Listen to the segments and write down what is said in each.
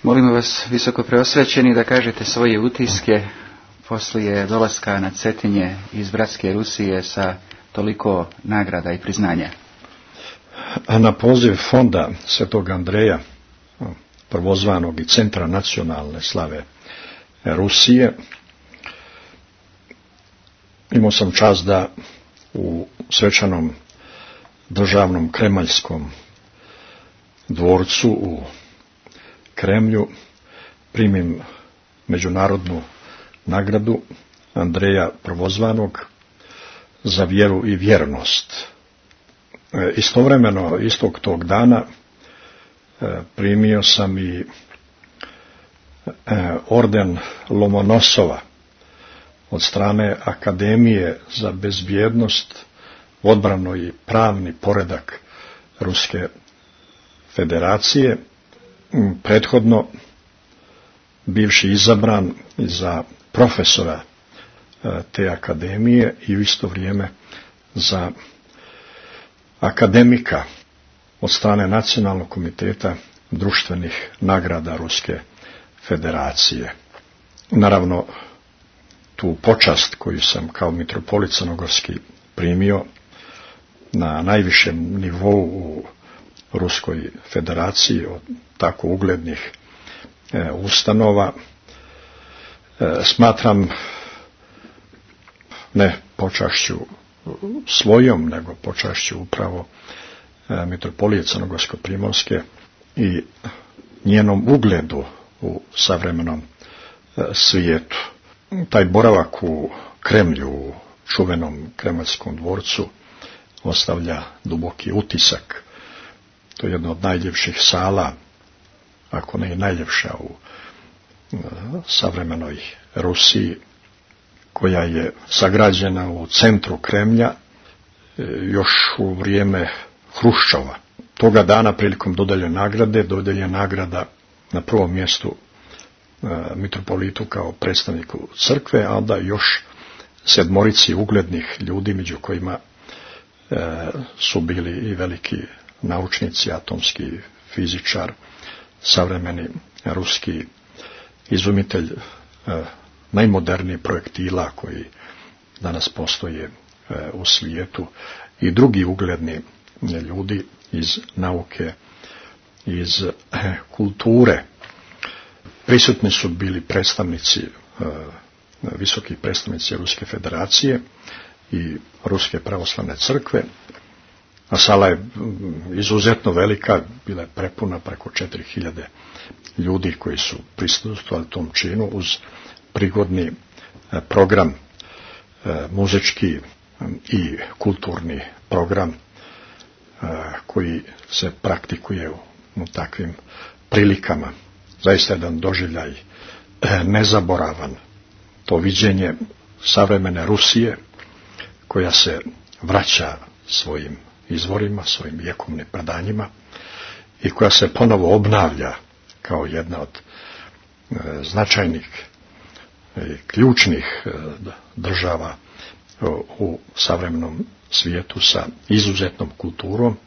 Molimo vas, visoko preosvećeni, da kažete svoje utiske poslije dolaska na Cetinje iz bratske Rusije sa toliko nagrada i priznanja. Na poziv fonda Svetog Andreja, prvozvanog i Centra nacionalne slave Rusije, imao sam čast da u svečanom državnom kremaljskom dvorcu u Kremlju primim međunarodnu nagradu Andreja Prvozvanog za vjeru i vjernost. Istovremeno, istog tog dana, primio sam i orden Lomonosova od strane Akademije za bezbjednost, odbranu i pravni poredak Ruske federacije, prethodno bivši izabran za profesora te akademije i u isto vrijeme za akademika od strane Nacionalnog komiteta društvenih nagrada Ruske federacije. Naravno, tu počast koju sam kao mitropolit crnogorski primio na najvišem nivou u Ruskoj federaciji od tako uglednih ustanova, smatram ne počašću svojom, nego počašću upravo mitropolije crnogorsko-primorske i njenom ugledu u savremenom svijetu. Taj boravak u Kremlju, u čuvenom kremaljskom dvorcu, ostavlja duboki utisak. To je jedna od najljepših sala, ako ne i najljepša u savremenoj Rusiji, koja je sagrađena u centru Kremlja još u vrijeme Hruščova. Toga dana prilikom dodeljena nagrada na prvom mjestu mitropolitu kao predstavniku crkve, a onda još 7 uglednih ljudi, među kojima su bili i veliki naučnici, atomski fizičar, savremeni ruski izumitelj najmoderniji projektila koji danas postoje u svijetu i drugi ugledni ljudi iz nauke, iz kulture. Prisutni su bili predstavnici, visoki predstavnici Ruske federacije i Ruske pravoslavne crkve, a sala je izuzetno velika, bila je prepuna preko 4000 ljudi koji su prisustvovali tom činu uz prigodni program, muzički i kulturni program koji se praktikuje u takvim prilikama. Zaista jedan doživljaj nezaboravan, to viđenje savremene Rusije koja se vraća svojim izvorima, svojim vjekovnim predanjima i koja se ponovo obnavlja kao jedna od značajnih i ključnih država u savremenom svijetu sa izuzetnom kulturom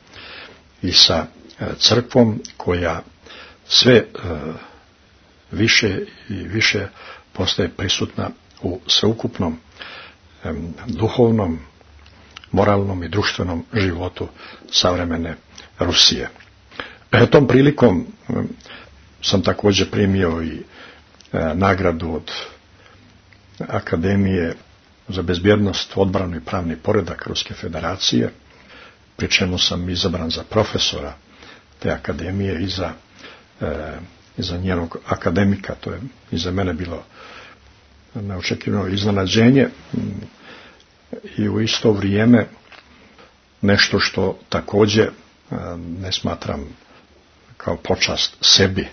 i sa crkvom koja sve više i više postaje prisutna u sveukupnom duhovnom, moralnom i društvenom životu savremene Rusije. Tom prilikom sam također primio i nagradu od Akademije za bezbjednost, odbranu i pravni poredak Ruske federacije, pri čemu sam izabran za profesora te akademije i za njenog akademika. To je i za mene bilo neočekivano iznenađenje i u isto vrijeme nešto što također ne smatram kao počast sebi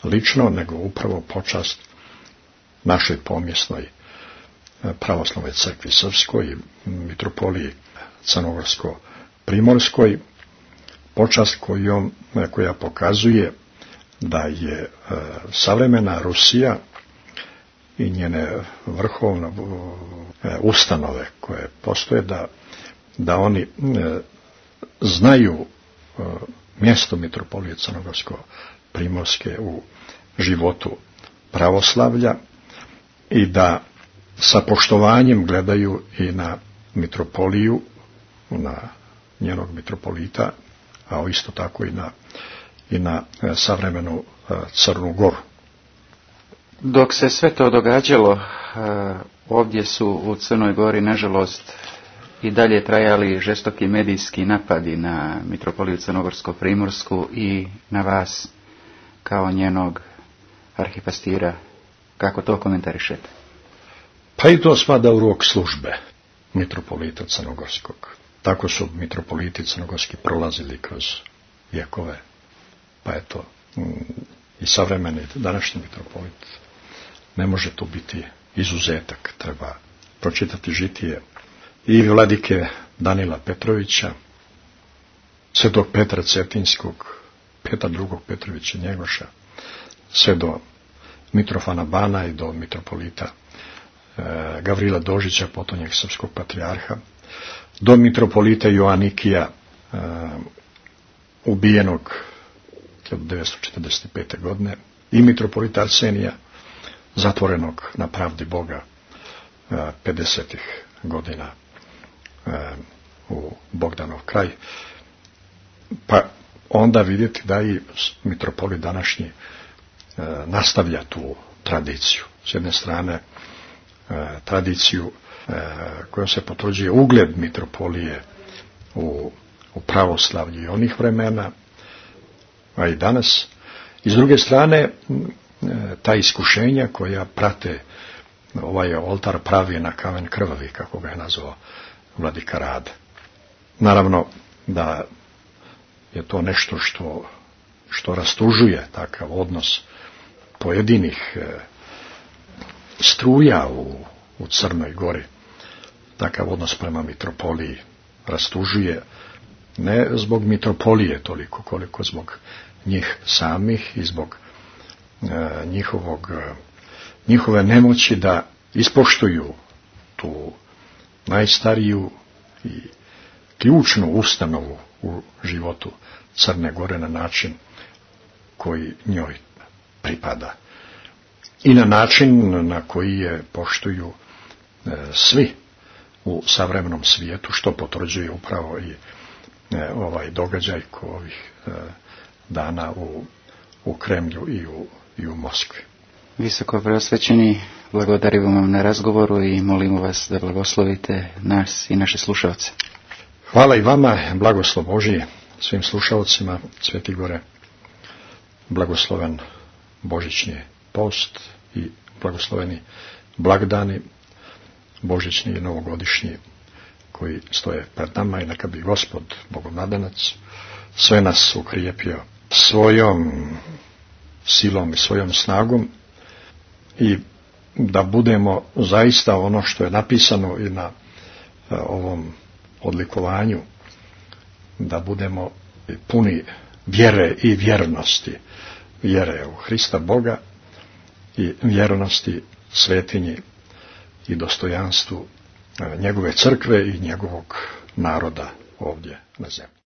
lično, nego upravo počast našoj pomjesnoj pravoslavnoj crkvi srpskoj i mitropoliji crnogorsko-primorskoj, počast koja pokazuje da je savremena Rusija i njene vrhovne ustanove koje postoje, da oni znaju mjesto mitropolije crnogorsko Primorske u životu pravoslavlja i da sa poštovanjem gledaju i na mitropoliju, na njenog mitropolita, a isto tako i na savremenu Crnu Goru. Dok se sve to događalo, ovdje su u Crnoj Gori, nažalost, i dalje trajali žestoki medijski napadi na mitropoliju Crnogorsko-Primorsku i na vas kao njenog arhipastira. Kako to komentarišete? Pa i to spada u rok službe mitropolita Crnogorskog. Tako su mitropoliti crnogorski prolazili kroz vjekove. Pa eto, i savremeni današnji mitropolit ne može tu biti izuzetak. Treba pročitati žitije i vladike Danila Petrovića, svetog Petra Cetinskog, Petra II. Petrovića Njegoša, sve do Mitrofana Bana i do mitropolita Gavrila Dožića, potonjeg srpskog patrijarha, do mitropolita Joanikija, ubijenog 1945. godine, i mitropolita Arsenija, zatvorenog na pravdi Boga 50. godina u Bogdanov kraj. Pa onda vidjeti da i mitropolit današnji nastavlja tu tradiciju. S jedne strane tradiciju kojom se potvrđuje ugled mitropolije u pravoslavlju i onih vremena, a i danas. I s druge strane, ta iskušenja koja prate ovaj oltar pravi na kamen krvavi, kako ga je nazvao vladika Rade. Naravno da je to nešto što rastužuje takav odnos pojedinih struja u Crnoj Gori. Takav odnos prema mitropoliji rastužuje ne zbog mitropolije toliko koliko zbog njih samih i zbog njihove nemoći da ispoštuju tu najstariju i ključnu ustanovu u životu Crne Gore na način koji njoj pripada i na način na koji je poštuju svi u savremenom svijetu, što potvrđuje upravo i ovaj događaj ovih dana u Kremlju i u Moskvi. Visoko preosvećeni, blagodarimo vam na razgovoru i molimo vas da blagoslovite nas i naše slušalce. Hvala i vama, blagoslov Božji svim slušalcima. Sveti Gore, blagosloven božićni post i blagosloveni blagdani božićni i novogodišnji koji stoje pred nama, i neka bi Gospod Bogonadanac sve nas ukrijepio svojom silom i svojom snagom i da budemo zaista ono što je napisano i na ovom odlikovanju, da budemo puni vjere i vjernosti, vjere u Hrista Boga i vjernosti svetinji i dostojanstvu njegove crkve i njegovog naroda ovdje na zemlji.